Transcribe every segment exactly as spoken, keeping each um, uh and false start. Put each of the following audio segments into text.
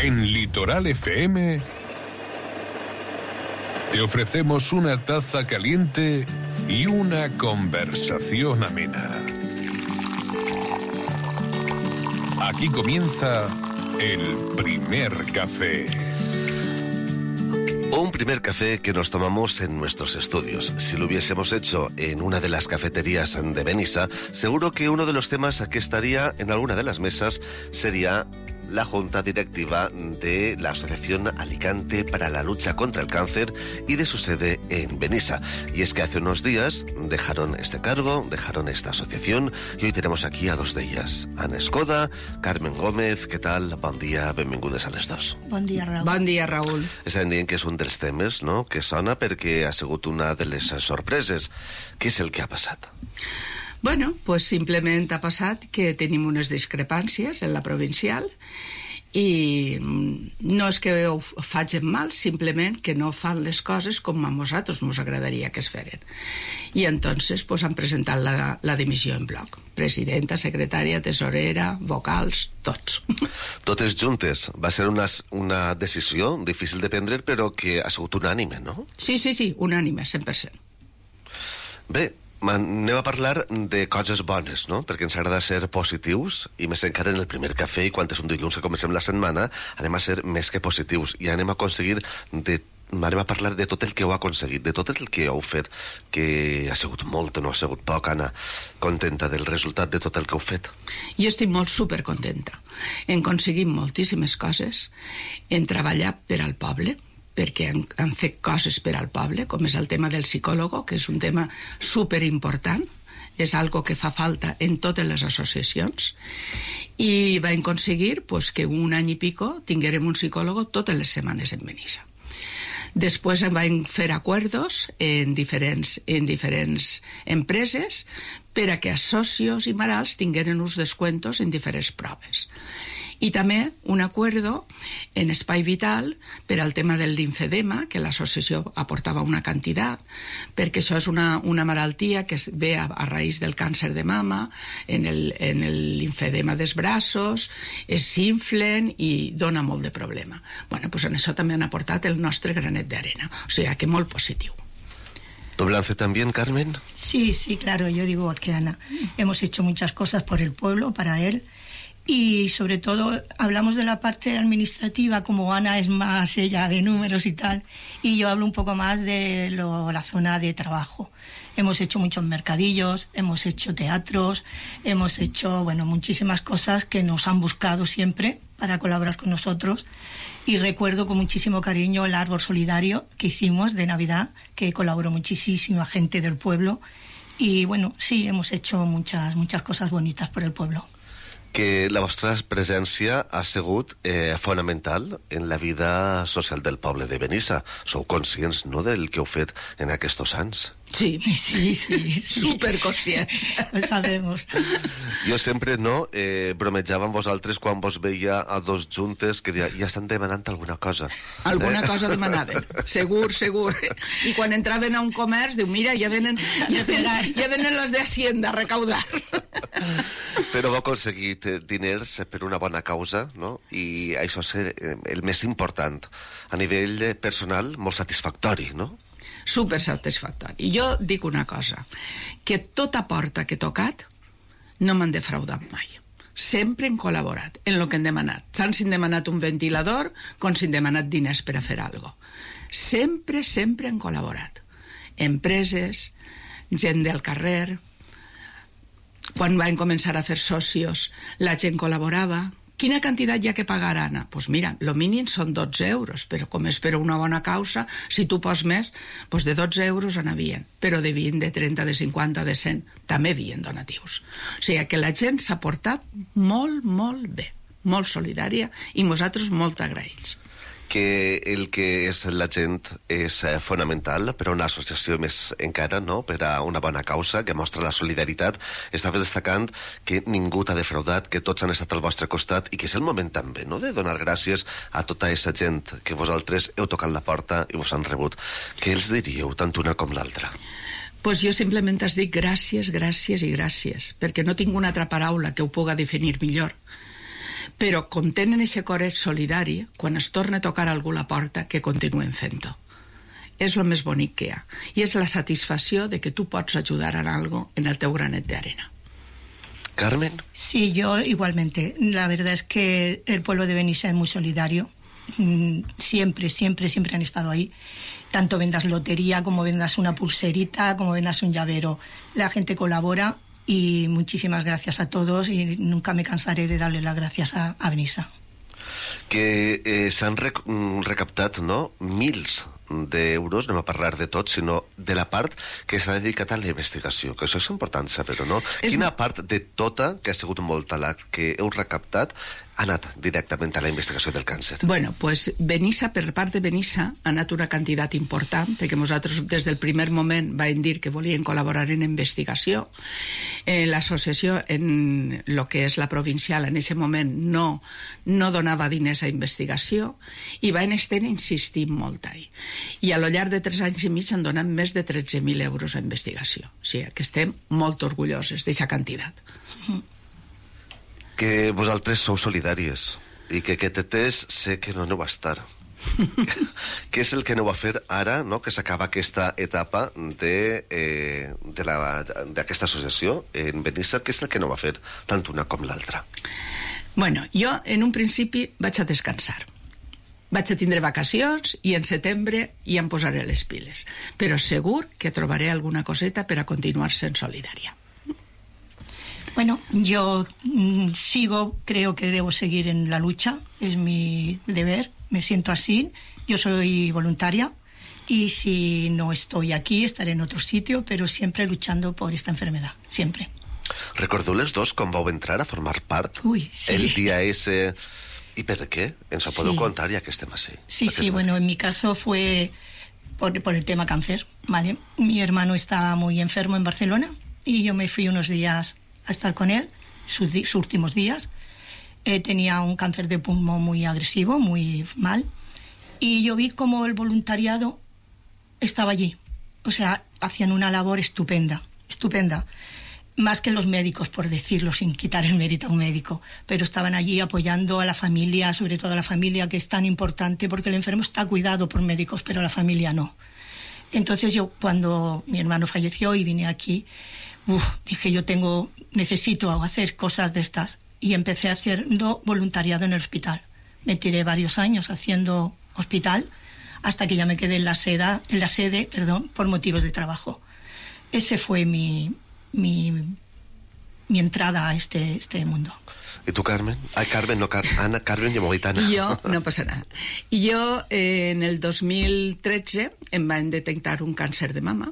En Litoral F M te ofrecemos una taza caliente y una conversación amena. Aquí comienza el primer café. Un primer café que nos tomamos en nuestros estudios. Si lo hubiésemos hecho en una de las cafeterías de Benissa, seguro que uno de los temas que estaría en alguna de las mesas sería la junta directiva de la Asociación Alicante para la Lucha contra el Cáncer y de su sede en Benissa. Y es que hace unos días dejaron este cargo, dejaron esta asociación, y hoy tenemos aquí a dos de ellas. Ana Escoda, Carmen Gómez. Què tal? Bon dia, benvingudes a les dos. Bon dia, Raül. Bon dia, Raül. Estem dient que és un dels temes, no?, que sona perquè ha sigut una de les sorpreses. Què és el que ha passat? Bueno, pues simplement ha passat que tenim unes discrepàncies en la provincial i no és que ho facin mal, simplement que no fan les coses com a nosaltres ens agradaria que es feren. I entonces pues, han presentat la, la dimissió en bloc. Presidenta, secretària, tesorera, vocals, tots. Totes juntes. Va ser una, una decisió difícil de prendre, però que ha sigut unànime, no? Sí, sí, sí, unànime, cent per cent. Bé, anem a parlar de coses bones, no? Perquè ens agrada ser positius, i més encara en el primer cafè, i quan és un dilluns que comencem la setmana, anem a ser més que positius, i anem a aconseguir de anem a parlar de tot el que heu aconseguit, de tot el que heu fet, que ha sigut molt, no ha sigut poc. Anna, contenta del resultat de tot el que heu fet? Jo estic molt supercontenta. Hem aconseguit moltíssimes coses, hem treballat per al poble, perquè han, han fet coses per al poble, com és el tema del psicòleg, que és un tema superimportant, és algo que fa falta en totes les associacions, i vam aconseguir pues, que un any i pico tinguérem un psicòleg totes les setmanes en Benissa. Després vam fer acords en diferents, en diferents empreses per a que els socios i marals tingueren uns descuentos en diferents proves. I també un acuerdo en Espai Vital per al tema del linfedema, que l'associació aportava una quantitat, perquè això és una, una malaltia que es ve a, a raïs del càncer de mama, en el, en el linfedema dels braços, es s'inflen i dona molt de problema. Bueno, pues en això també han aportat el nostre granet d'arena, o sigui que molt positiu. ¿Tu balance también, Carmen? Sí, sí, claro, yo digo que Ana, hemos hecho muchas cosas por el pueblo, para él. Y sobre todo hablamos de la parte administrativa, como Ana es más ella de números y tal, y yo hablo un poco más de lo, la zona de trabajo. Hemos hecho muchos mercadillos, hemos hecho teatros, hemos hecho bueno muchísimas cosas que nos han buscado siempre para colaborar con nosotros. Y recuerdo con muchísimo cariño el árbol solidario que hicimos de Navidad, que colaboró muchísima gente del pueblo. Y bueno, sí, hemos hecho muchas, muchas cosas bonitas por el pueblo. Que la vostra presència ha sigut eh, fonamental en la vida social del poble de Benissa. Sou conscients, no?, del que heu fet en aquests anys. Sí, sí, sí, sí. Superconscients. Lo sabemos. Jo sempre, no, eh, bromejava amb vosaltres quan vos veia a dos juntes que deia, ja estan demanant alguna cosa. Alguna eh? cosa demanaven, segur, segur. I quan entraven a un comerç, diu, mira, ja venen, ja venen, ja venen les de Hacienda a recaudar. Però heu aconseguit diners per una bona causa, no? I això és el més important. A nivell personal, molt satisfactori, no? Super satisfactori. I jo dic una cosa, que tota porta que he tocat no m'han defraudat mai. Sempre hem col·laborat en el que hem demanat. Tant si hem demanat un ventilador com si hem demanat diners per a fer alguna cosa. Sempre, sempre hem col·laborat. Empreses, gent del carrer. Quan vam començar a fer socios, la gent col·laborava. Quina quantitat hi ha que pagar, Anna? Doncs pues mira, lo mínim són dotze euros, però com és per una bona causa, si tu pos més, doncs de dotze euros n'havien, però de vint, de trenta, de cinquanta, de cent, també havien donatius. O sigui que la gent s'ha portat molt, molt bé, molt solidària, i nosaltres molt agraïts. Que el que és la gent és eh, fonamental per a una associació més encara, no?, per a una bona causa que mostra la solidaritat. Estaves destacant que ningú t'ha defraudat, que tots han estat al vostre costat, i que és el moment també, no?, de donar gràcies a tota aquesta gent que vosaltres heu tocat la porta i vos han rebut. Què els diríeu, tant una com l'altra? Pues jo simplement es dic gràcies, gràcies i gràcies, perquè no tinc una altra paraula que ho puga definir millor. però com tenen aquest coret solidari, quan es torna a tocar algú la porta, que continuen fent-ho. És el més bonic que hi ha. I és la satisfacció de que tu pots ajudar en algo en el teu granet de arena. Carmen. Sí, yo igualmente. La verdad es que el pueblo de Benissa es muy solidario. Siempre, siempre, siempre han estado ahí. Tanto vendas lotería, como vendas una pulserita, como vendas un llavero. La gente colabora y muchísimas gracias a todos y nunca me cansaré de darle las gracias a, a Benissa. Que eh, s'han rec recaptat, no?, mils d'euros, no anem a parlar de tot, sinó de la part que s'ha dedicat a la investigació, que això és important saber-ho, no? És... Quina part de tota, que ha sigut molta la que heu recaptat, ha anat directament a la investigació del càncer? Bueno, pues Benissa, per part de Benissa, ha anat una quantitat important, perquè nosaltres des del primer moment vam dir que volien col·laborar en investigació. Eh, L'associació, en el que és la provincial, en aquest moment no, no donava diners a investigació i van estar insistint molt ahí. I a lo llarg de tres anys i mig han donat més de tretze mil euros a investigació. O sigui, que estem molt orgulloses d'aquesta quantitat. Que vosaltres sou solidàries i que aquest test sé que no aneu a estar. Què és el que aneu a fer ara, no?, que s'acaba aquesta etapa de, eh, de la, d'aquesta associació en Benissa? Què és el que aneu a fer, tant una com l'altra? Bueno, jo en un principi vaig a descansar. Vaig a tindre vacacions i en setembre ja em posaré les piles. Però segur que trobaré alguna coseta per a continuar sent solidària. Bueno, yo mmm, sigo, creo que debo seguir en la lucha, es mi deber, me siento así, yo soy voluntaria y si no estoy aquí estaré en otro sitio, pero siempre luchando por esta enfermedad, siempre. Recordeu les dos com vau entrar a formar part? Uy, sí. El dia ese... ¿Y per qué? ¿Ens ho podeu Sí. contar ya que estem así? Sí, sí, bueno, en mi caso fue por, por el tema cáncer, ¿vale? Mi hermano estaba muy enfermo en Barcelona y yo me fui unos días a estar con él, sus, sus últimos días. Eh, tenía un cáncer de pulmón muy agresivo, muy mal, y yo vi como el voluntariado estaba allí. O sea, hacían una labor estupenda, estupenda. Más que los médicos, por decirlo, sin quitar el mérito a un médico, pero estaban allí apoyando a la familia, sobre todo a la familia, que es tan importante, porque el enfermo está cuidado por médicos, pero la familia no. Entonces yo, cuando mi hermano falleció y vine aquí, uf, dije, yo tengo, necesito hacer cosas de estas, y empecé haciendo voluntariado en el hospital. Me tiré varios años haciendo hospital, hasta que ya me quedé en la sede, en la sede, perdón, por motivos de trabajo. Ese fue mi... Mi, mi entrada a este, este mundo. ¿Y tú, Carmen? Ay, Carmen, no, Car Ana, Carmen i Moguitana. Jo, no passa nada. Jo, eh, en el dos mil tretze, em van detectar un càncer de mama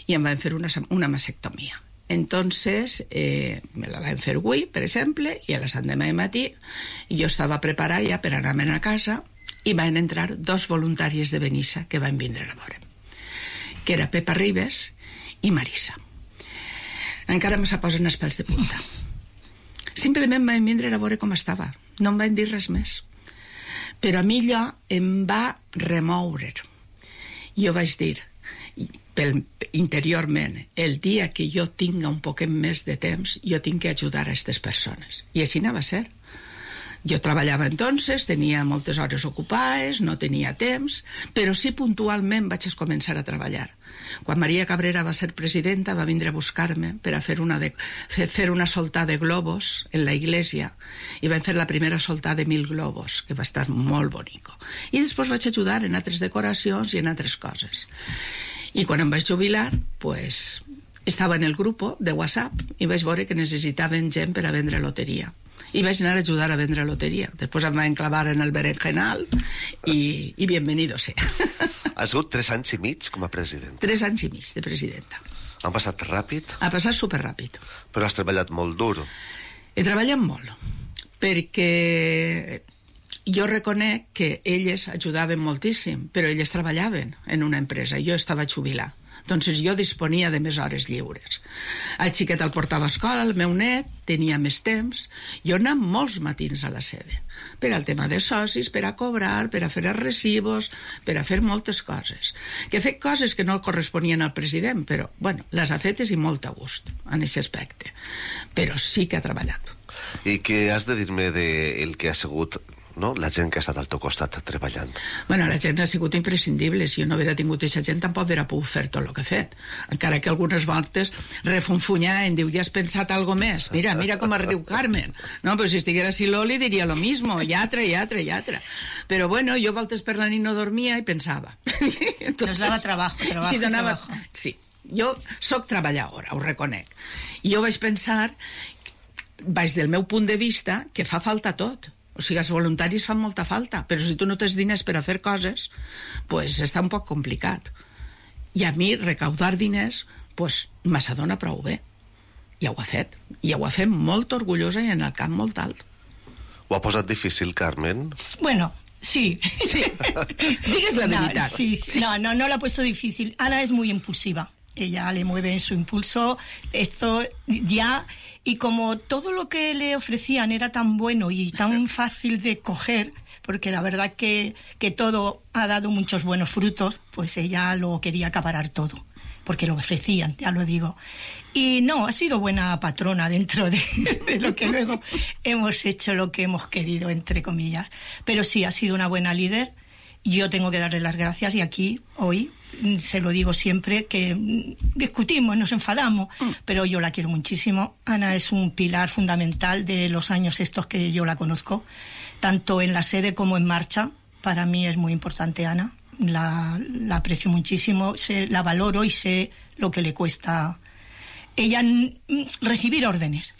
i em van fer una, una mastectomia. Entonces, eh, me la van fer avui, per exemple, i a les set de matí jo estava preparada ja per anar-me'n a casa i van entrar dos voluntàries de Benissa que van vindre a veure, que era Pepa Ribes i Marisa. Encara me se posen els pèls de punta. Simplement van vindre a veure com estava. No em van dir res més. Però a mi allò em va remoure. Jo vaig dir, pel, interiorment, el dia que jo tinga un poquet més de temps, jo tinc que ajudar a aquestes persones. I així anava a ser. Jo treballava entonces, tenia moltes hores ocupades, no tenia temps, però sí puntualment vaig començar a treballar. Quan Maria Cabrera va ser presidenta, va vindre a buscar-me per a fer una, de, fer, fer una soltada de globos en la iglesia, i vam fer la primera soltada de mil globos, que va estar molt bonico. I després vaig ajudar en altres decoracions i en altres coses. I quan em vaig jubilar, pues, estava en el grup de WhatsApp i vaig veure que necessitaven gent per a vendre loteria. I vaig anar a ajudar a vendre loteria. Després em va enclavar en el berenjenal i, i bienvenido sea. Has sigut tres anys i mig com a presidenta. Tres anys i mig de presidenta. Han passat ràpid? Ha passat superràpid. Però has treballat molt dur. He treballat molt, perquè jo reconec que elles ajudaven moltíssim, però elles treballaven en una empresa. Jo estava jubilat. Entonces jo disponia de més hores lliures. El xiquet el portava a escola, el meu net tenia més temps. Jo anava molts matins a la sede, per al tema de socis, per a cobrar, per a fer els recibos, per a fer moltes coses. Que he fet coses que no corresponien al president, però, bueno, les ha fetes i molt a gust, en aquest aspecte. Però sí que ha treballat. I què has de dir-me del que ha sigut, no?, la gent que ha estat al teu costat treballant? Bueno, la gent ha sigut imprescindible. Si jo no haguera tingut aquesta gent, tampoc hauria pogut fer tot el que he fet. Encara que algunes voltes refunfunyar em diu, ja has pensat algo més? Mira, mira com es riu Carmen. No, però si estiguera així l'Oli diria lo mismo, i altre, i altre, i altre. Però bueno, jo voltes per la nit no dormia i pensava. Entonces, nos dava trabajo, trabajo, i donava... trabajo. Sí, jo soc treballadora, ho reconec. I jo vaig pensar, vaig del meu punt de vista, que fa falta tot. O sigui, els voluntaris fan molta falta, però si tu no tens diners per a fer coses, pues està un poc complicat. I a mi recaudar diners, pues me s'adona prou bé. Ja ho ha fet. I ja ho ha fet molt orgullosa i en el camp molt alt. Ho ha posat difícil, Carmen? Bueno, sí. Sí. Digues la veritat. No, sí, sí. No, no, no la ha puesto difícil. Ana es muy impulsiva. Ella le mueve en su impulso. Esto ya... Y como todo lo que le ofrecían era tan bueno y tan fácil de coger, porque la verdad que, que todo ha dado muchos buenos frutos, pues ella lo quería acaparar todo, porque lo ofrecían, ya lo digo. Y no, ha sido buena patrona dentro de, de lo que luego hemos hecho lo que hemos querido, entre comillas. Pero sí, ha sido una buena líder. Yo tengo que darle las gracias y aquí, hoy, se lo digo siempre, que discutimos, nos enfadamos, mm. pero yo la quiero muchísimo. Ana es un pilar fundamental de los años estos que yo la conozco, tanto en la sede como en marcha. Para mí es muy importante Ana, la, la aprecio muchísimo, sé, la valoro y sé lo que le cuesta ella recibir órdenes.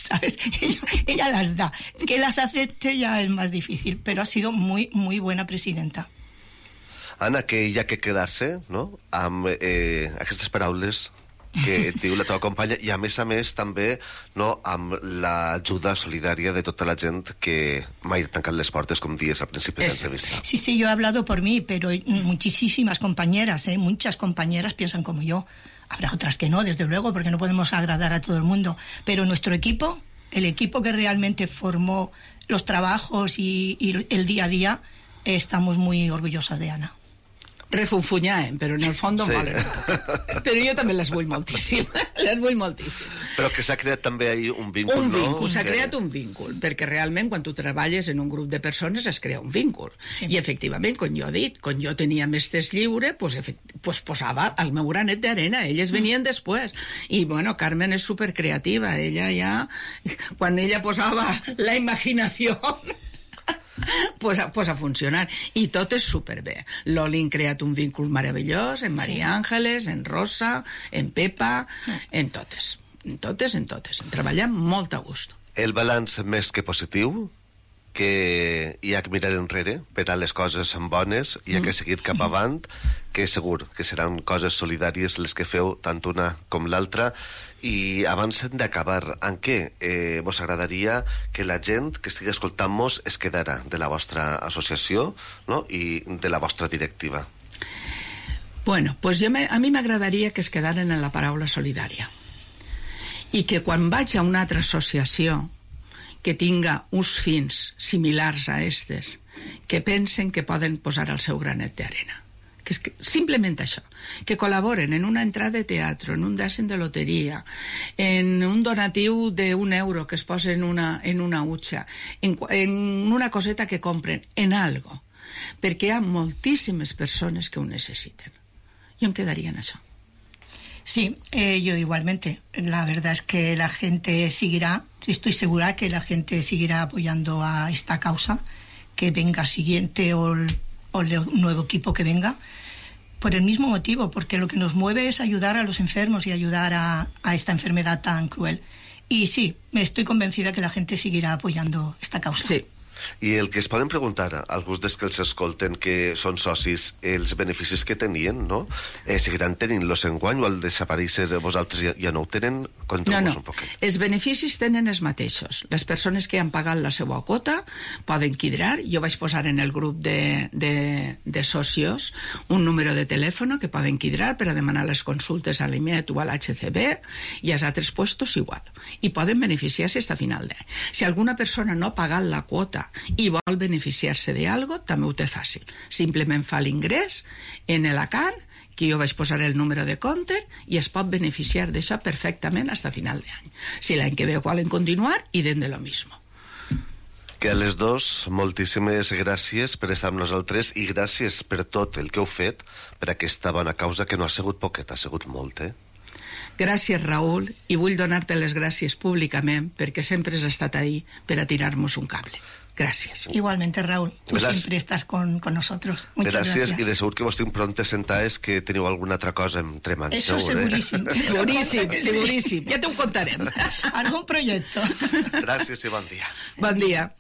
¿Sabes? Ella, ella las da. Que las acepte ya es más difícil, pero ha sido muy, muy buena presidenta. Anna, que hi ha que quedar-se, no?, amb eh, aquestes paraules que et diu la teva companya i, a més a més, també, no, amb l'ajuda solidària de tota la gent que mai ha tancat les portes, com dies al principi de l'entrevista. Sí, sí, yo he hablado por mí, pero muchísimas compañeras, ¿eh? Muchas compañeras piensan como yo. Habrá otras que no, desde luego, porque no podemos agradar a todo el mundo. Pero nuestro equipo, el equipo que realmente formó los trabajos y, y el día a día, eh, estamos muy orgullosas de Ana. Refunfunyàem, però en el fons sí. Valen. Però jo també les vull moltíssim. Les vull moltíssim. Però que s'ha creat també ahí un víncul, un víncul, no? S'ha que... creat un víncul, perquè realment quan tu treballes en un grup de persones es crea un víncul. Sí. I efectivament, com jo he dit, quan jo tenia més temps lliure, pues, pues posava el meu granet d'arena, elles venien mm. després. I bueno, Carmen és supercreativa, ella ja, quan ella posava la imaginació... Pues a, pues a funcionar. I tot és superbé. L'Oli ha creat un víncul meravellós en Maria Àngeles, en Rosa, en Pepa, en totes. En totes, en totes. En treballar molt a gust. El balanç més que positiu, que hi ha que mirar enrere per a les coses bones, hi ha que seguir cap avant, que segur que seran coses solidàries les que feu tant una com l'altra. I abans d'acabar, en què eh, vos agradaria que la gent que estigui escoltant-nos es quedara de la vostra associació, no?, i de la vostra directiva? Bueno, pues jo me, a mi m'agradaria que es quedaren en la paraula solidària i que quan vaig a una altra associació que tinga uns fins similars a estes, que pensen que poden posar el seu granet d'arena. Que és que, simplement això, que col·laboren en una entrada de teatre, en un dècim de loteria, en un donatiu d'un euro que es posa en una, en una utxa, en, en una coseta que compren, en algo, perquè hi ha moltíssimes persones que ho necessiten. Jo em quedaria en això. Sí, eh, yo igualmente. La verdad es que la gente seguirá, estoy segura que la gente seguirá apoyando a esta causa, que venga siguiente o el, o el nuevo equipo que venga, por el mismo motivo, porque lo que nos mueve es ayudar a los enfermos y ayudar a, a esta enfermedad tan cruel. Y sí, me estoy convencida que la gente seguirá apoyando esta causa. Sí. I el que es poden preguntar alguns dels que els escolten que són socis, els beneficis que tenien, no? Eh, seguiran tenint-los enguany o al desaparèixer vosaltres ja, ja no ho tenen? No, no, un poquet. Els beneficis tenen els mateixos. Les persones que han pagat la seva quota poden quidrar. Jo vaig posar en el grup de, de, de socios un número de telèfon que poden quidrar per a demanar les consultes a l'I M E T o a l'H C B i als altres puestos igual. I poden beneficiar-se fins a final d'any. Si alguna persona no ha pagat la quota i vol beneficiar-se d'algo, també ho té fàcil. Simplement fa l'ingrés en l'Acan, que jo vaig posar el número de compte, i es pot beneficiar d'això perfectament fins a final d'any. Si l'any que ve volen continuar, idem de lo mismo. Que a les dos, moltíssimes gràcies per estar amb nosaltres i gràcies per tot el que heu fet per aquesta bona causa, que no ha sigut poquet, ha sigut molt, eh? Gràcies, Raül, i vull donar-te les gràcies públicament perquè sempre has estat ahí per a tirar-nos un cable. Gracias. Igualmente, Raúl, tú gracias. Siempre estás con, con nosotros. Muchas gracias. Gracias, y de segur que vos tinc pronte sentades que teniu alguna altra cosa entre mans. Eso segur, seguríssim. Eh? Seguríssim, seguríssim. Ja t'ho contarem. Algun projecte. Gràcies i bon dia. Bon dia.